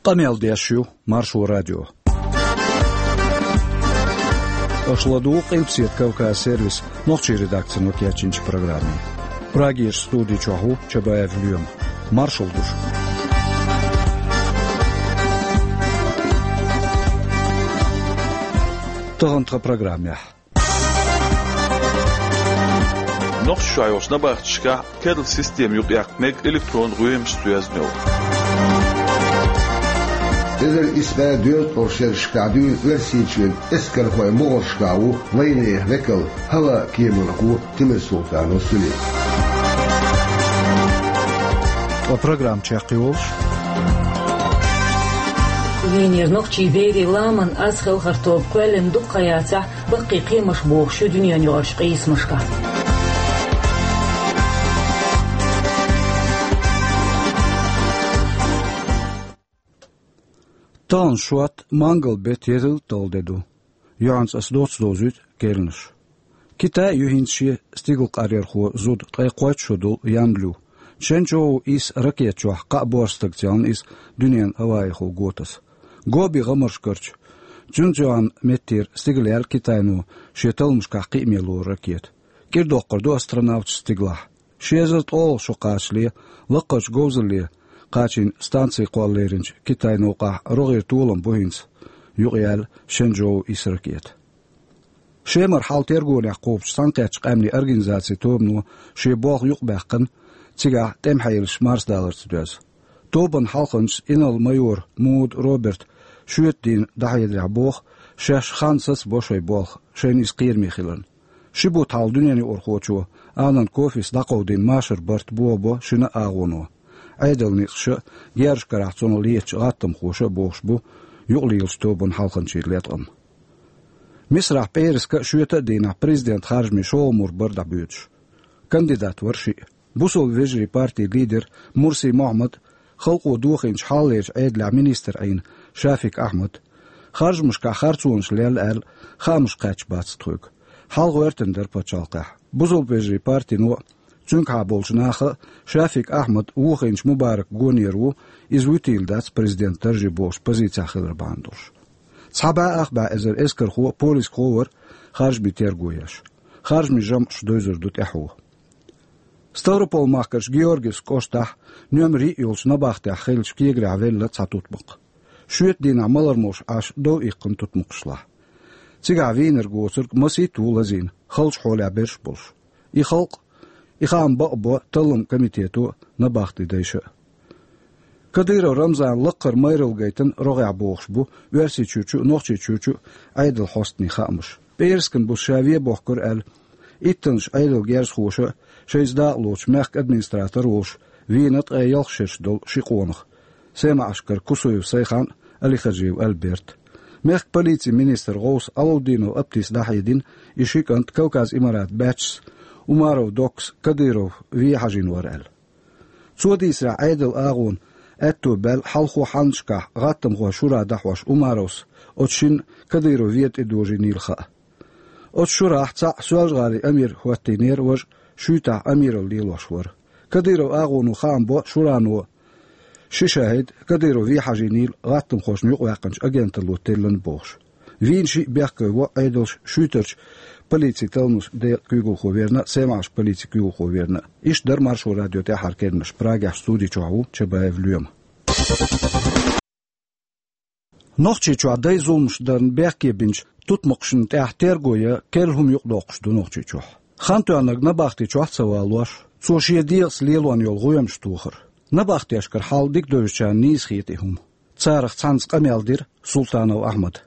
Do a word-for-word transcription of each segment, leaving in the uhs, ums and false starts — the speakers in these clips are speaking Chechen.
Къамел деш ю Маршо радио. Аша ладугӀу Къилбаседа Кавказ сервисан нохчийн редакцино кечйинчу программе. Прагерчу студи чохь ву Чабаев Лоьма. Маршалла ду шуьга. Тахана тхан программехь. Нохчийчохь йолчу набахташкахь керла система юкъаяккха мега электронан гӀоьмашца доьзна йолу. Эзар исс бӀе доьзткъе ткъе шерашкахь дуьйна Оьрсийчоьнан эскархойн могӀаршкахь ву вайнехан векал, хӀаллакеманхо Тимирсултанов Сулим. Ткъа программа чекхйолуш. Венера нохчийн берийн ламанан аз хелхар тоба кхоьллина дукха хан яцахь, баккхий кхиамаш бохуш ю дуьненаюкъарчу къийсамашкахь. Тахана шот, мангал беттан ялхитталгӀа де ду. Юьхьанца ас доцца довзуьйту керланаш. Китай а ю хӀинца шен стигалкъаръярхо зуда ткъе кхойтта шо долу Ян Лю. Шэнчжоу исс ракета чохь кхаа боьрша стагца яьлла иза дуьненан хӀаваэхула го таса. Гоби гӀамаршкарчу Цзюнцзюань меттера стигала яьлла Китайно шен талламашкахь кхиаме лору ракета. КӀира доккхур ду астронавташ стигалахь. Ши эзар ткъолгӀа шо кхачале, лаккхарчу говзалле кхачийна станци кхолла леринчу Китайн новкъахь рогӀера толам бу хӀинца юкъаяьлла Шэнчжоу исс ракета. Шемара хьал тергонехь кхобучу Цхьаьнакхеттачу Къаьмнийн Организацин тобано шен болх юкъабаьккхина, цигахь тӀеман хьелаш марсадаларца доьзна. Тобанан хьалханчас инарла-майор Муд Роберта шоьтан дийнахь дӀахьедарехь боху, шаьш хан сацабо шайн болх, шайна иза кхераме хиларна. Ши бутт хьалха дуьненаюкъархочо Алан Кофис дӀакховдийна машаран барт бохабо шина а агӀоно. Ӏедалан некъаша, герзашкарахь цунах летачу гӀаттамхоша а бохуш бу юкъалелачу тобанан хьалханчийн леткъам. Мисрахь пӀераска а шоьтан а дийнахь президентан харжамийн шолгӀа мур бара дӀабоьдуш. Кандидат вара шиъ. Бусалба вежарийн партин лидер Мурси Мохьмад, халкъо дохийначу хьалхалерчу Ӏедалехь министр Ӏийна Шафик Ахьмад, харжамашкахь харцонаш лелла аьлла, хаамаш кхаьчна бац тхоьга. Хьал гӀоьртина дара пачхьалкхехь. Бусалба вежарийн партино а, цуьнгахьа болчу наха а Шафик Ахьмад вохийначу Мубаракан гонера ву, иза вуьтийла дац президентан дарже бохучу позицехь хилар бахьана долуш. Цхьа бӀе ах бӀе эзар эскархо а, полисхо а вара харжамийн терго еш. Харжамийн жамӀаш девзар ду тӀаьхьо. Ставрополь-махкарчу Георгиевск кӀоштахь, номер йиъ йолчу набахтехь хиллачу кегарехь велла цхьа тутмакх. Шоьтан дийнахь малар молуш Ӏаш дов иккхина тутмакхашлахь. Цигахь вийнарг-воцург масийтта ву лазийна, халчу хьолехь берш а болуш. И халкъ, и хаам бакъбо талламан комитето а, набахтин дайша а. Кадыров Рамзанан лакхара майралла гайтина рогӀехь бохуш бу Оьрсийчуьрчу а, Нохчийчуьрчу а Ӏедалан хьостанийн хаамаш. ПӀераскан буса ша вен бохкура аьлла, иттаннаш Ӏедалан герзахоша а, шайца дакъалоцучу мехкан администратор а волуш, вийна ткъе ялх шераш долу ши къонах: СемаӀашкара Кусуев Сайхан а, Алихаджиев Альберт а. Мехкан полицин министран гӀовс Алаудинов Аптис дӀахьедина, и ши кӀант Кавказ Имарат баьччас Умаров Доккас Кадыров вен хьажийна вара аьлла. Цо дийцарехь, Ӏедалан агӀона аьтто баьлла хьалхо хьаннашкахь гӀаттамхойн шура дӀахьош Умаровс оцу шинна Кадыров вен тӀедожийнийла хаа. Оцу шурахь цхьаъ Соьлжа-ГӀалин амир хӀоттийнера, важа Шуьйтахь амиралла лелош вара. Кадыровн агӀоно хаам бо шурано ши шахӀид Кадыров вен хьажийнийла гӀаттамхошна юкъаваьккхинчу агенталло теллина бохуш. Вийна шиъ бехке во Ӏедалш Шуьйтарчу полицин талламан декъан куьйгалхо верна а, СемаӀашкан полицин куьйгалхо верна а. Иштта дара Маршо радион тӀаьххьара керланаш. Прагехь студи чохь ву Чабаев Лоьма. Нохчийчохь дай зуламаш дарна бехке бинчу тутмакхашна тӀехь терго ян керла хӀума юкъадоккхуш ду Нохчийчохь. Хан тоьхнарг набахти чохь а ца валош, цо шен дегӀаца лелон йолу гӀоьмаш тохар. Набахтешкара хьал дика девзачарна нийса хета и хӀума. Царах цхьаьнца къамел дира Султанов Ахьмада.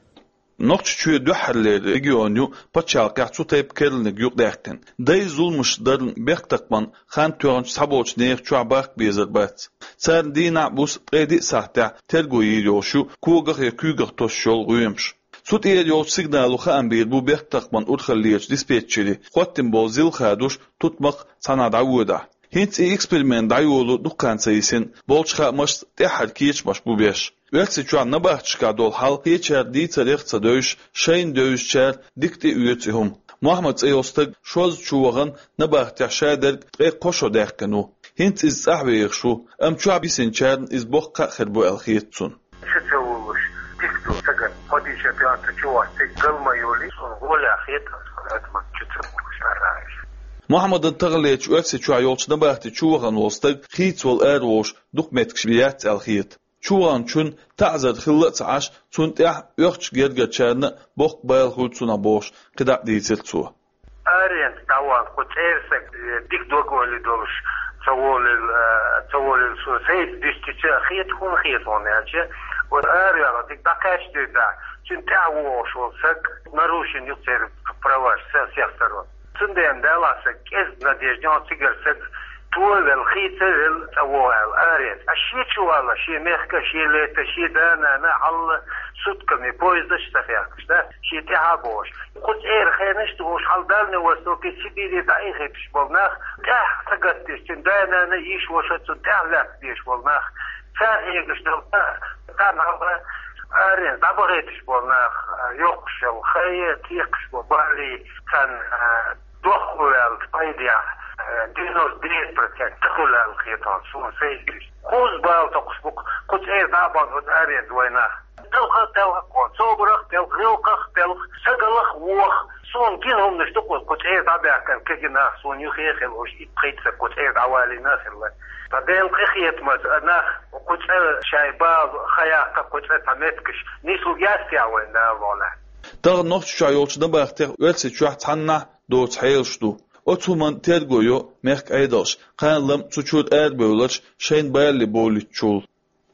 Нохчийчоь дуьххьарлера регион ю пачхьалкхехь цу тайпа керланиг юкъадаьккхина. Дай зуламаш дарна бехктакхаман хан тоьхначу цхьаболчу нехан чохь бахка безар бац. Царна дийнахь а, буса ткъе диъ сахьтехь терго йийр йолуш ю когах я куьйгах тосуш йолу гӀоьмаш. Цу тӀера йолчу сигнало хаам бийр бу бехктакхаман урхаллерчу диспетчере, хӀоттийна болу зил хадош тутмакх цхьанхьа дӀаводахь. ХӀинца и эксперимент дӀайоло дукха хан ца йисина, болчу хаамашца тӀаьххьара кечамаш бу беш. Оьрсийчохь набахташкахь долу хьал кхечара дийцарех а ца девзаш, шайна девзачара дика тӀеоьцу и хӀума. Мохьмад цӀе йолу стаг шозза чу вахана набахтехь шадерг ткъе кхо шо даьккхина ву. ХӀинца иза цӀахь вехаш ву, амма чохь бисинчарна иза боккха кхаъ хир бу аьлла хета цунна. чу ца волуш, дика ду сагатта, кхо дийша пятница чу вац, цига гал ма йолий, суна гӀолехь хетар, сан адамаш чу ца волуш, ара аш. Мухьаммадан таханлерчу Оьрсийчохь йолчу набахти чувахана волу стаг хийцавала араволуш дукха меттигаш яц аьлла хета. Чуваханчунна таӀзар хилла а ца Ӏаш, цунна тӀехь оьхучу гергарчарна а боккха бала хуьлу цунах бохуш, кхидӀа а дийцира цо. Аренца дӀаван кху цӀера саг, э, дика дог-ойла долуш ца волийла, э, ца волийла, суна сайца дуьстича а хета, хӀунда хета хьуна аьлча, вот араваьлла дика дӀакхаьчдуьйтахь, цуьнан тӀаьхьа вогӀуш волу саг нарушен ю церан праваш, сел сехтаро. Цундела Дала саг кӀезиг надежда йо цигара саг, товелла, хийцавелла цӀа вогӀу аьлла аренца. А шен чу вала, шен мехка, шен лета, шен да-нана, хьалла сутками поездаш ца хехкаш, да? Шен тӀаьхьа а бохуш. Кху цӀера хенаш а тухуш, хьал Дальний Востоке, Сибире дӀаихийташ болу нах, тӀаьхьа ца гатдеш, цуьнан да-нана, йиша-ваша цунна тӀаьхьа лаьцна дезаш болу нах, цара хьегаш долу, царна хьалха аренца дӀабахийташ болу нах, йоккхуш йолу хай, текхаш болу балий, царна, а, дохко ваьлла пайдехь, а, девяносто девять процент ца хуьлу аьлла хета хьуна, суна сайгаш. Кхузза бала токхуш бу-кх, кху цӀера дӀа а бан оцу аренца вай нах. Талхах а телха, собарах а телха, гӀиллакхах а телха, сагалах а воха. Суна гина хӀуманаш ду кху, кху цӀера дӀабаьхкина кегий нах, суна юххе а хилла уьш, итт-пхийтта саг кху цӀера дӀавалийна а хилла. Ткъа Делан къинхетамца нах кху цӀа шайн бала хан яккха, кху цӀа цхьа меттигаш нислург яц техьа вайна, Дала мукъ лахь. Тахана Нохчийчохь йолчу набахтех Оьрсийчохь цхьаннахьа доцу хьелаш ду. Оцу хӀуманна терго йо мехкан Ӏедалш, кхана-лама цу чуьра арабевлларш шайна балале бовлуьйтучул.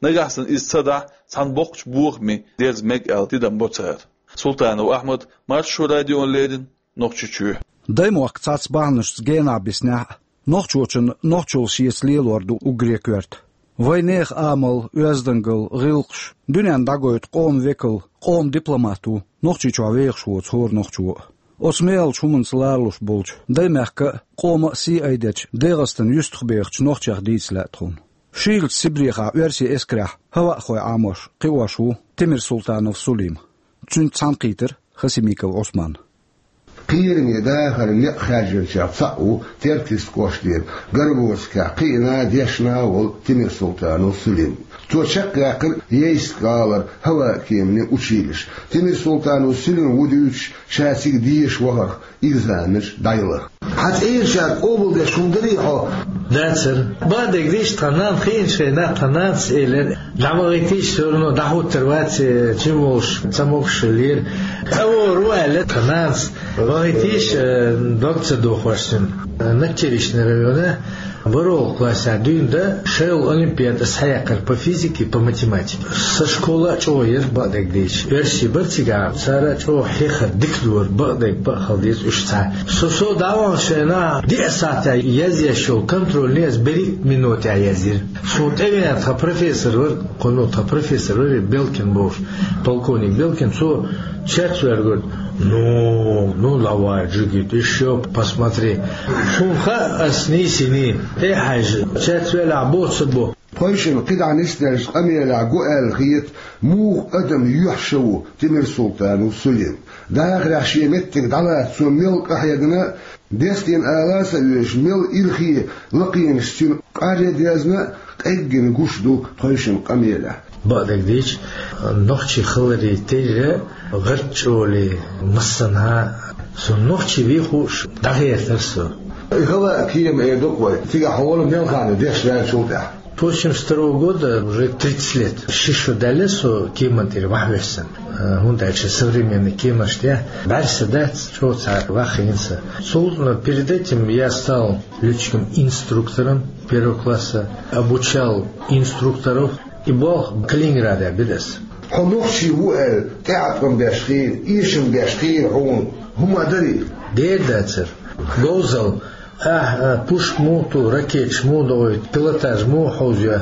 Нагахь санна иза ца дахь, цхьана боккхачу бохаме дерза мега аьлла тидам бо цара. Султанов Ахьмад, Маршо радиона леррина, Нохчийчоь. Даймохк цхьацца бахьанашца генахь биснехь а, нохчочун нохчалла шеца лелор ду уггаре коьрта. Вайн нехан амал, оьздангалла, гӀиллакхаш дуьненна дӀагойту къоман векал, къоман дипломат ву Нохчийчохь вехаш воцу хӀора нохчо а. Оцу мехалчу хӀуманца лоруш болчу Даймехкан а, къоман а сий айдечу ДегӀастана юьстахбехачу нохчех дийца лаьа тхуна. Шийлачу Сибрехахь оьрсийн эскарехь хӀаваъхой Ӏамош кхиош ву Тимирсултанов Сулим. Цуьнца цхьаьна кхийтира Хасимиков Ӏусман. Кхераме дахар некъ хаьржинчех цхьаъ ву Теркйист кӀоштера Горбовскехь кхиъна а, дешна а волу Тимирсултанов Сулим. Цо чекхъяьккхира Ейск-гӀалара хӀаваан кеманийн училище. Тимирсултанов Сулим ву дуьйцуш, ша цига деша вахарх, экзаменаш дӀаяларх. Хьан цӀерачара къобалдеш хӀума дарий хьо? Дацара. Бакъдерг дийцича, тхан нанна хиъначу хенахь тхан нанас элира: «ДӀавахийтийша, всё равно дӀахӀуттур вац, чим волуш ца могуш хиллера». ЦӀа вогӀур ву аьлла тхан нанас. Вахийтийша, э, дог ца дохош цуьнан. Надчеречный района бархӀалгӀачу классехь дуьйна дан шайолу олимпиада схьаяьккхира по физике, по математике. Сан школа а чӀогӀа яра, бакъдерг дийцича. Оьрсий бара цигахь, цара а чӀогӀа хьехар дика дора, бакъдерг бакъ хила деза уьш цхьа. Со, со дӀаваханчу хенахь диъ сахьтехь язъеш йолу контрольни ас берхӀитта минотехь язйира. Суна тӀевеана тхан профессор вара, кхунна тхан профессор вара, Белкин бохуш, полковник Белкин, цо цец ваьлла гуьрта: «Ну, ну, давай, джигит, ещё посмотри». Хьуна хаьа, ас нийсийний, тӀе а хьаьжна, цец велахь бо, ца бо. Тхойшинна кхидӀа нисделлачу къамелехь го аьлла хета, муха адам юьхь-шан ву Тимирсултанов Сулим. Дахарехь шен меттиг дӀалаца цо мел къахьегна, дестийна ала а ца оьшуш, мел ирхе лакхенаш цуьнан къарре дезна, къеггина гуш ду тхойшинна къамелехь. Бакъдерг дийцича, нохчий хиларе терра, гӀарчӀоле, массанхьа а, со нохчи вехуш дӀахӀоьттира со. И хӀаваан кема эр ду-кх вай, цигахь хьо вала мел хан ю дешна ваьллачул тӀаьхьа? После семьдесят второго года уже тридцать лет. Ши шо даьлла со кеман тӀера охьавоьссина. Э, хӀунда аьлча современный кеманаш тӀехь бӀаьрса дац, чӀогӀа цхьа вахийна сан. Цул, но перед этим я стал лётчиком-инструктором первого класса, обучал инструкторов. И болх Калининградехь бира ас. Хьо нохчи ву аьлла, тӀеӀаткъам беш хилла, эшам беш хилла хьуна хӀума а дарий? Дера дацара. Говзалла, ахь, а, пушка муха ту, ракеташ муха дохуьйту, пилотаж муха хьовзайо.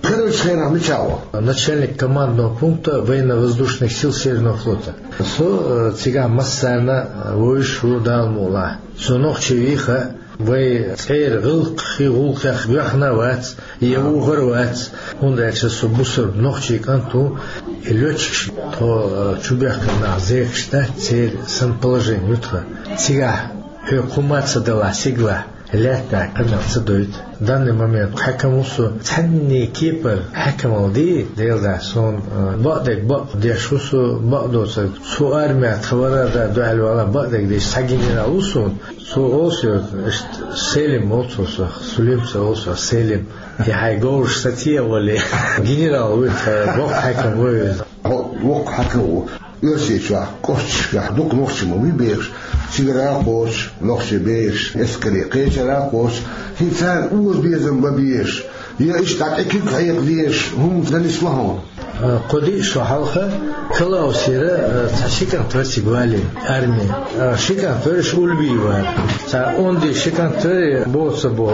Карарчу хенахь мичахь ву? Начальник командного пункта военно-воздушных сил Северного флота. Со, э, цигахь массарна, э, вевзаш ву, Дала мукъ лахь. Со нохчи вийха, вай цӀера гӀиллакхехь, гӀуллакхехь боьхна а вац, я вухар а вац, хӀунда аьлча со бусалба нохчи кӀант ву, и лётчикаш тхо, э, чубоьхкина нах зекаш дац, церан сан положение ю тхан. Цигахь хьоьга хӀумма а ца далахь, сигалахь, Лаьтта къамаьл ца дойту. Данный момент хьаькам ву со, цхьанне кепара хьаькамал дий, Делан дуьхьа, суна, э, бакъдерг бакъ деш ву со, бакъдоцург. Со армехь тхан вара а да дуьхьал вала бакъдерг деш цхьа генерал ву суна. Цо олу соьга, иштта Селим олу цо сох, Сулим ца олу сох, Селим. И хьайн говраш сатийна вале. Генерал вуй тхан, воккха хьаькам вуй иза. Хьо воккха хьаькам ву. Оьрсийчохь, кӀошташкахь дукха нохчий ма вуй бехаш, цигара а кхочуш, нохчий бехаш, эскаре кхечара а кхочуш, хӀинца царна озабезам бан безаш, я иштта дӀа тӀе куьг хьекха дезаш хӀума дан нисло хьуна. Э, кхо-диъ шо хьалха Калаусера, э, цхьа ши кӀант вара цига валийна арме. Э, ши кӀант вара, уьш уллубий вара. Цхьа онда ши кӀант вара, боцу бо,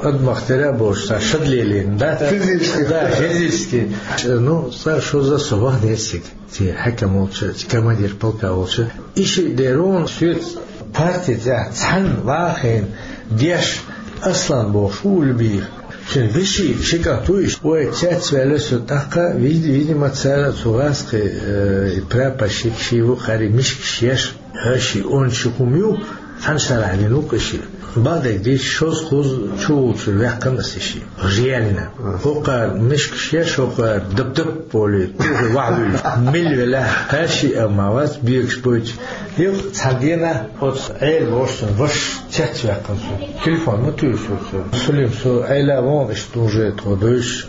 э, адамах тера а боцуш, цхьа шадлелийна, да? Физически. Да, физически. Ну, цхьа шозза со вахана цига. Церан хьаькам волчу, командир полка волчу. И шиъ дерон соьца парти тӀехь цхьаьна вахийна деш Аслан бохуш ву уллубийх. Цуьнан вешин ши кӀант ву иштта. Вай цецваьлла со тӀаккха, вид-, видимо, цара цу гӀазкхийн, э, прапорщик ший ву, кхари мишкаш еш, хӀа ши онда ши хӀума ю, цхьана шарахь вина ву-кх и шиъ. Бакъдерг дийцича, шозза-кхузза чувуллучуьра ваьккхина аса и шиъ. Реально. ХӀокхара мишкаш еш, хӀокхара дап-дап волий, тухий вахьа вуьйлуш. Мила велахь, хӀара шиъ а ма вац, бегаш бойтуш. Юха цхьана дийнахь оцу Ӏела бохучун ваша цецваьккхина цо. Телефон ма туьйсу цо. Сулим, со Ӏела а вон, иштта уже тхо дуьйцуш.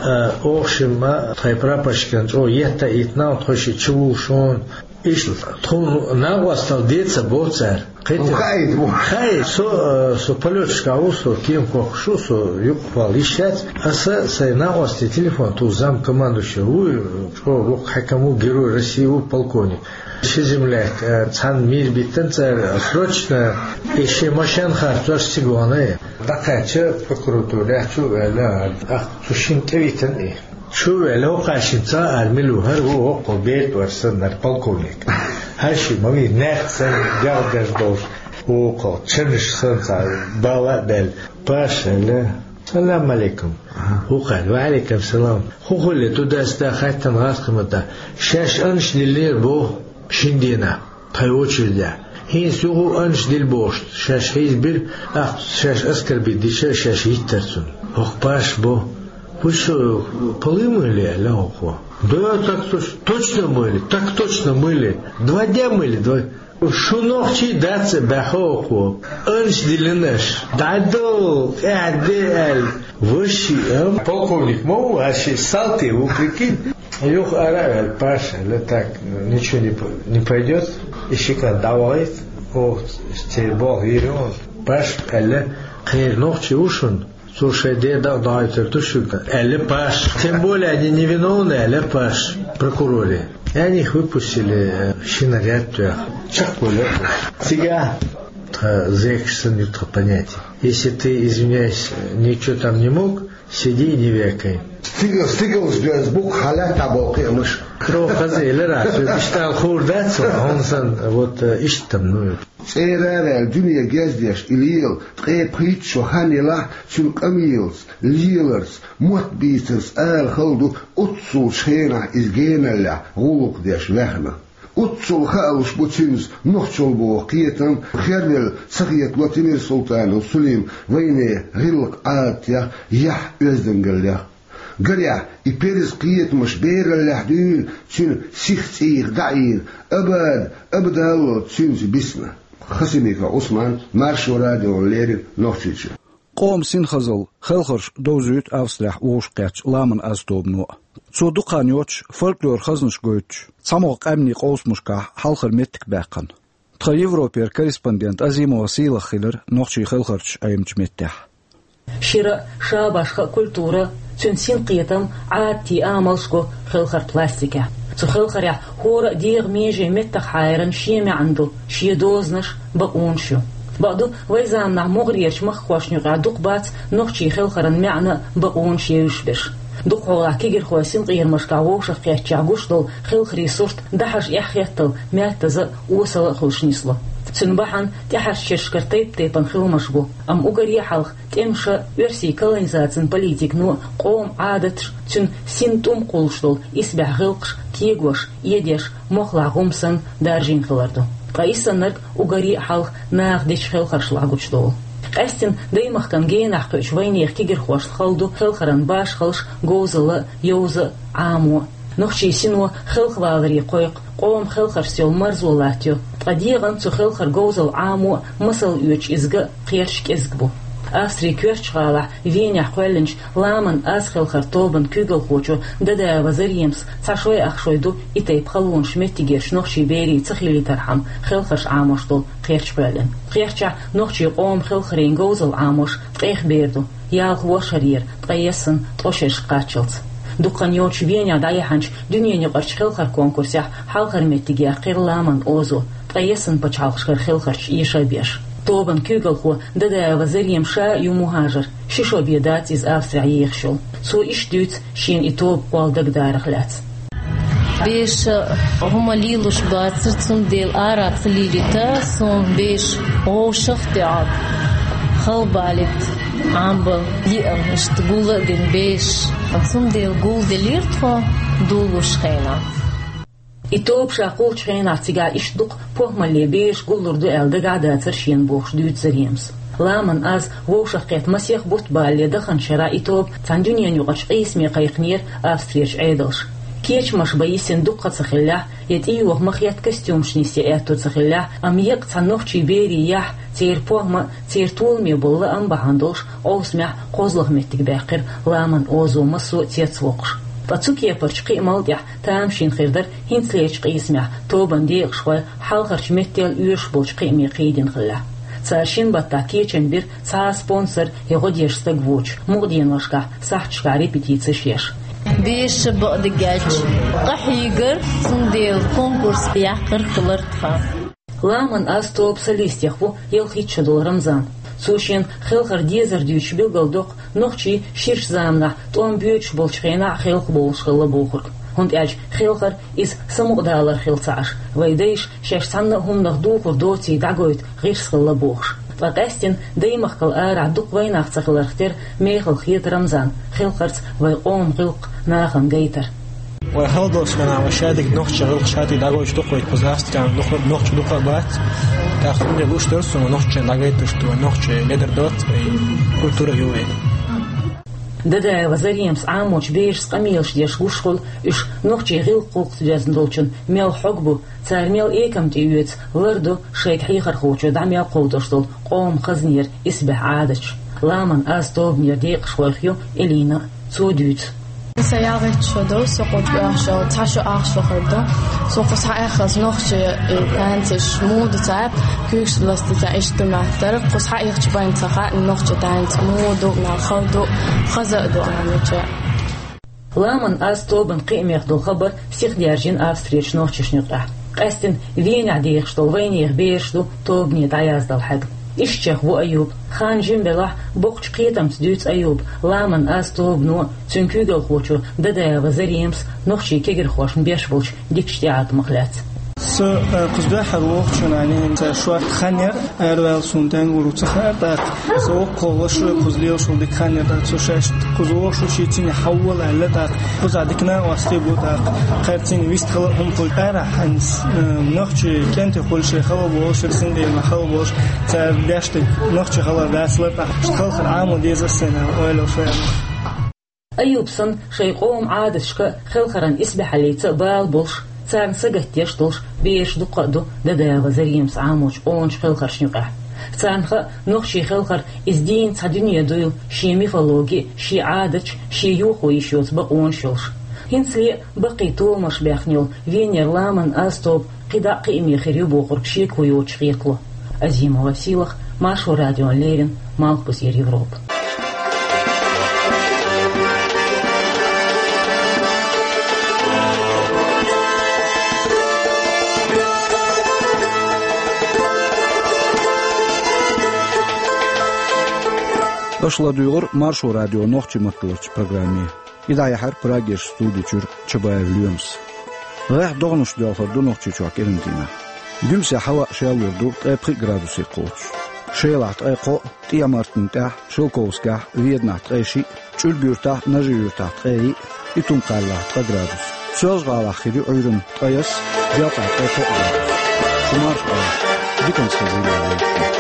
А, оха шимма тхайн прапорщикана чӀогӀа етта а йитина, тхо шиъ чувуллуш ву. Иштта тхуна накъосталла де ца боху цара. Кхетий? Хаийта бу. Хай, со, э, со полёташкахь ву, со кема кхоккхуш ву, со юкъахвала йиш яц. Аса сайн накъосте телефон туху, замкомандующий ву, чӀогӀа воккха хьаькам ву, Герой России ву, полковник. Ши земляк, э, цхьаьна мийра биттина цара, срочно, и шен машен харцош цига вахана. ДӀакхаьчча прокуратурехь чу а ваьлла, ах, цу шинна тӀевитина и. Чу а ваьлла, хӀокху шинца ара мила ву, хӀара ву, хӀокху бертвар санна, хӀара полковник. ХӀара шиъ ма вий, наьрт санна, дегӀ деш долуш, вукху чанаш санна, цхьа бала а баьлла. Паша аьлла: «Салам алейкум». ХӀокхара: «Ва алейкум салам». ХӀун хуьлу, туда-сюда хаьттина гӀазкхийн маттахь. Шаьш аннаш диллинера боху шина дийнахь тхайн очередехь. ХӀинца юха а аннаш дилла бохуш, шаьш хьийзабира, тӀаккха шаьш оскорбить дича, шаьш йиттара цунна. ХӀокху Паша бо: «Вы что, полы мыли?» — аьлла хӀокхо. «Да, так точ-, точно мыли, так точно мыли. Два дня мыли, два». Шу нохчий дац а баьхна хӀокхо. Аннаш диллина аша. ДӀадо, тӀаьхьа де аьлла. Ваши, а? Полковник ма ву, а ши салти ву, прикинь. Юха ара а ваьлла, Паша аьлла: «Так, ничего не п-, не пойдёт». И ши кӀант дӀавахийта, оха церан болх йийр ю. Паша аьлла: «Кхеран нохчи ву шуна, цо шайн ден дагадоуьйтур ду шуьга», — аьлла Паша. «Тем более они невиновны», — аьлла Паша прокуроре. И они их выпустили, э, шина гӀаьттоьхна. Чекхвелира. Цигахь тхан зекаш санна ю тхан понятие. Если ты, извиняюсь, ничего там не мог, сиди и не вякай. Стигал, стигалш доьзна бу-кх хьан лаьтта боккхий а муш. Тро хаза элира, цу биштӀал хуур дац, хьуна сан, вот, э, иштта, ну. ЦӀера а ваьлла, дуьне гездеш и лела, ткъе пхийтта шо хан елахь, цуьнан къамелаца, леларца, мотт бийцарца ала хала ду, оццул шенахь иза геналлехь гӀуллакх деш ваьхна. Оццул хаалуш бу цуьнца нохчалла боху кхетам, хервелла ца хетало Темирсултанов Сулим вайне гӀиллакх-Ӏадатех, яхь оьздангаллех. Гарехь, и перза кхетамаш бераллехь дуьйна, цуьнан сих цӀийх дӀаийна, абада, абадалло цуьнца бисна. Хасимиков Ӏусман, Маршо радиона леррина, Нохчийчоь. Къоман синхазалла, хелхарш довзуьйту Австрехь вовшахкхеттачу «Ламан аз» тобано. Цо дукха хан йоцуш фольклоран хазнаш гойтуш, цхьамогӀа къаьмнийн къовсамашкахь хьалхара меттиг баьккхина. Тхан Европера корреспондент Азимова Сийлаха хилира нохчийн хелхарчаш Ӏемачу меттехь. Шира, шабашха культура, цуьнан синкхетам, Ӏадатийн амалш го хелхаран пластикехь. Цу хелхарехь хӀора а дегӀан меже меттах хьайран шен маьӀна ду, шен дозанаш, бакъонаш ю. Бакъду, вайн заманахь могӀарерчу махкахошна юкъахь дукха бац нохчийн хелхаран маьӀна а, бакъонаш а евзаш берш. Дукхахьолахь кегирхойн синкъерамашкахь вовшахкхеттачех гуш долу хелхарийн сурт дӀахьажа эхь-хеттал, маьттаза а, осала а хуьлуш нисло. Цуьнан бахьана тӀаьхьарчу шерашкара тайп-тайпана хиламаш бу, амма уггаре а хьалха тӀемаша, оьрсийн колонизацин политикано, къоман Ӏадаташ, цуьнан син тӀум кхуллуш долу исбаьхьа гӀиллакхаш кегош, эдеш, мохлахь гӀум санна даржийна хилар ду. Ткъа и саннарг уггаре а хьалха наха дечу хелхаршлахь гучудолу. Къаьстина даймахкан генахь кхуьучу вайнехан кегийрхошна хала ду хелхаран башхаллаш, говзалла, йовза, Ӏамо. Нохчийн сино хелхаваларе кхойкху, къоман хелхаршца йолу марзо латтайо, ткъа дегӀан цу хелхаран говзалла Ӏамо а, масал оьцуш иза а кхерчан кӀезиг бу. Австрин коьртачу гӀалахь Венехь кхоьллинчу «Ламан аз» хелхаран тобанан куьйгалхочо Дадаева Заремас цхьа шой ах шой ду и тайпа халонаш меттигерчу нохчийн берийн ца хилийтархьама хелхарш Ӏамош долу кхерч кхоьллина. Кхерчахь нохчийн къоман хелхарийн говзалла Ӏамош ткъех бер ду, ялх ворхӀ шарера, ткъе ялсаманин ткъа шерашка кхаччалц. Дукха хан йоццуш Венехь дӀаяьхьначу дуьненаюкъарчу хелхаран конкурсехь хьалхара меттиг яьккхира «Ламан озо», ткъе ялсаманин пачхьалкхашкара хелхарчу эша а беш. Тобанан куьйгалхо Дадаева Зарема ша а ю мухӀажар, ши шо бен дац иза Австрехь ехаш йолу. Цо иштта дуьйцу шена и тоба кхолла дагадарах лаьцна. Бераша хӀума лелош бацара, цундела ара ца лелийта, суна бераш вовшах а тӀеӀотта, халабалийта Ӏамбан йиъна, иштта гул а дина бераш. Цундела гулделира тхо долуш хенахь. И тоба ша кхуллучу хенахь цигахь иштта дукха похӀмалле бераш гуллур ду аьлла дагахь а дацара шена бохуш дуьйцу Заремас. «Ламан аз» вовшах кхетта масех бутт балале даханчу шарахь и тоба цхьана дуьненаюкъарчу къийсаме кхайкхинера Австрерчу Ӏедалша. Кечамаш бан йисина дуккха а ца хиллехь, я тӀейоха ма-хетта костюмаш нисъян аьтто ца хиллехь, амма еккъа цхьана нохчийн берийн яхь, церан похӀма а, церан толаме болу лаам бахьана долуш, Ӏовсамехь кхозлагӀа меттиг баьккхира «Ламан озо» массо а цецвоккхуш. Ткъа цу кепарчу кхиамал тӀехь тамашийна хир дара хӀинцалерчу къийсамехь тобанан декъашхой хьалхарчу меттел оьшуш болчу кхиаме кхийдина хиллехь. Цара шина баттахь кечам бира цхьа а спонсор я гӀо деш стаг воцуш, мукъаденошкахь сахьташкахь репетицеш еш. Бераша бакъдерг аьлча, къахьийгара, цундела конкурс яккхар хилар тхан. «Ламан аз» тобан солистех ву ялхитта шо долу Рамзан. Цо шена хелхаран дезар дуьйцуш билгалдоккху нохчий ширачу заманахь тӀом боьдуш болчу хенахь а хелхабовлуш хилла бохург. ХӀунда аьлча хелхар иза самукъадалар хилла ца Ӏаш, вайн дайша шаьш цхьанна а хӀуманах духур доций дӀагойту гӀирс хилла бохуш. Ткъа къаьстина даймахкал арахь дукха вайнах ца хиларх тера мехала хета Рамзан хелхарца вайн къоман гӀиллакх нахана гайтар. Вай хала долчу хенахь вай шадерг нохчийн гӀиллакх шадерг дӀагойтуш ду-кх вай, кхузахь Австрехь нохчо дукха а бац. ТӀаккха хӀунда луш дара суна нохчийн дӀагайтуш ду, нохчийн ледар доцу вай, культура ю вай. Дадаева Заремас Ӏамочу берашца къамелаш деш гуш хуьлу уьш нохчийн гӀиллакх-гӀуллакхца доьзна долчун мел хьог бу, цара мел экам тӀеоьцу, ларду шайга хьехархочо дӀа мел кховдош долу къоман хазнера исбаьхьа Ӏадаташ. «Ламан аз» тобанера декъашхойх ю Элина а. Цо дуьйцу. Сан ялхитта шо ду, со кхуза оьхуш йолу, цхьа шо ах шо хир ду. Со кхуза схьаэххалц нохчийн и танцаш муха ду ца, куьйгаш ласта ца, иштта ду моьттура. Кхуза схьаэхча бен ца хаьа нохчийн танц муха ду, мел хала ду, хаза а ду аьлла. «Ламан аз» тобанан кхиамех долу хабар сиха даьржина Австрерчу нохчашна юкъахь. Къаьстина Венехь дехаш долу вайнехан бераш ду тобане дӀаяздала хьаьгна. Ишттачех ву Аюб. Хан жима велахь а, боккхачу кхетамца дуьйцу Аюба «Ламан аз» тобано а, цуьнан куьйгалхочо Дадаева Заремас нохчийн кегийрхошна беш болчу дикачу тӀеӀаткъамах лаьцна. Со, э, кхуза дуьххьара вогӀучу хенахь, цара шортта хан яра, араваьлла суна тӀаьнгур ву ца хаьара тӀаккха. Со воккхах ваша кхуза лелаш волу дика хан яра тӀаккха, со шаьш кхуза вогӀуш ву, шен цӀийне хьавола аьлла тӀаккха. Кхузахь дика накъостий бу тӀаккха. Кхара цӀийне вист хала хӀума хуьлу. Арахь хьайна, э, нохчийн кӀентий хуьлу шайн хала болуш, цундела хала болуш, цара деш дерг нохчийн хала дацалар тӀаккха. Иштта хелхар Ӏамо деза ас сайна ойла шайна». Аюб санна, шайн къоман Ӏадаташка а, хелхаран исбаьхьаллица а бала болуш, царна сагатдеш долуш бераш дуккха а ду Дадаева Заремас Ӏамочу къоначу хелхаршна юкъахь. Царна хаьа, нохчийн хелхар иза дийна цхьа дуьне дуйла, шен мифологи а, шен Ӏадаташ а, шен юхо йиш йоцу бакъонаш а йолуш. ХӀинцале а баккхий толамаш баьхна йолу Венера «Ламан аз» тоба кхидӀа а кхиаме хир ю бохург шеко йоцуш хетало. Азимова Сийлаха, Маршо радиона леррина, Малхбузера Европа. Аша ладуьйгӀура Маршо радион нохчийн матталарчу программе. И дӀаяьхьира Прагерчу студи чуьра Чабаев Лоьмас. ГӀеххьа догӀанаш доьлхур ду Нохчийчохь кӀиран дийнахь. Дуьмсе хьава а шеллур ду ткъе пхи градусе кхочуш. Шелахь ткъе кхоъ, ТӀехьа-Мартан тӀехь, Шелковскехь, Веданахь ткъе шиъ, ЧӀуьрг-Юьртахь, Нажи-Юьртахь ткъе йиъ, Итум-Кхаьллахь ткъа градус. Соьлжа-ГӀалахь хир ю Ӏуьйранна ткъе ялх, Делкъехь ткъе кхоъ градус. Шу марша Ӏойла. Диканца хезийла вай шуьга.